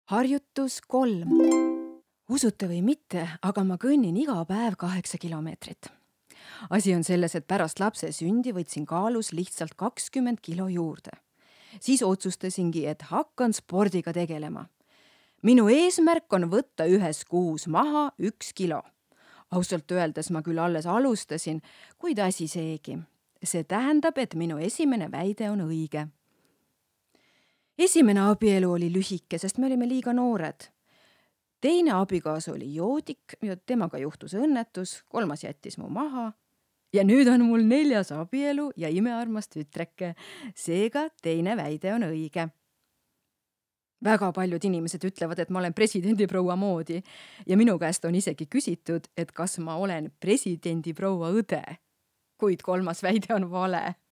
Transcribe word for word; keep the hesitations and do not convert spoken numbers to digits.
Harjutus kolm. Usute või mitte, aga ma kõnnin iga päev kaheksa kilomeetrit. Asi on selles, et pärast lapse sündi võtsin kaalus lihtsalt kakskümmend kilo juurde. Siis otsustasingi, et hakkan spordiga tegelema. Minu eesmärk on võtta ühes kuus maha üks kilo. Ausalt öeldes ma küll alles alustasin, kuid asi seegi. See tähendab, et minu esimene väide on õige. Esimene abielu oli lühike, sest me olime liiga noored. Teine abikaasa oli joodik ja temaga juhtus õnnetus, kolmas jättis mu maha. Ja nüüd on mul neljas abielu ja imearmas tütreke. Seega teine väide on õige. Väga paljud inimesed ütlevad, et ma olen presidendiproua moodi ja minu käest on isegi küsitud, et kas ma olen presidendiproua õde. Kuid kolmas väide on vale.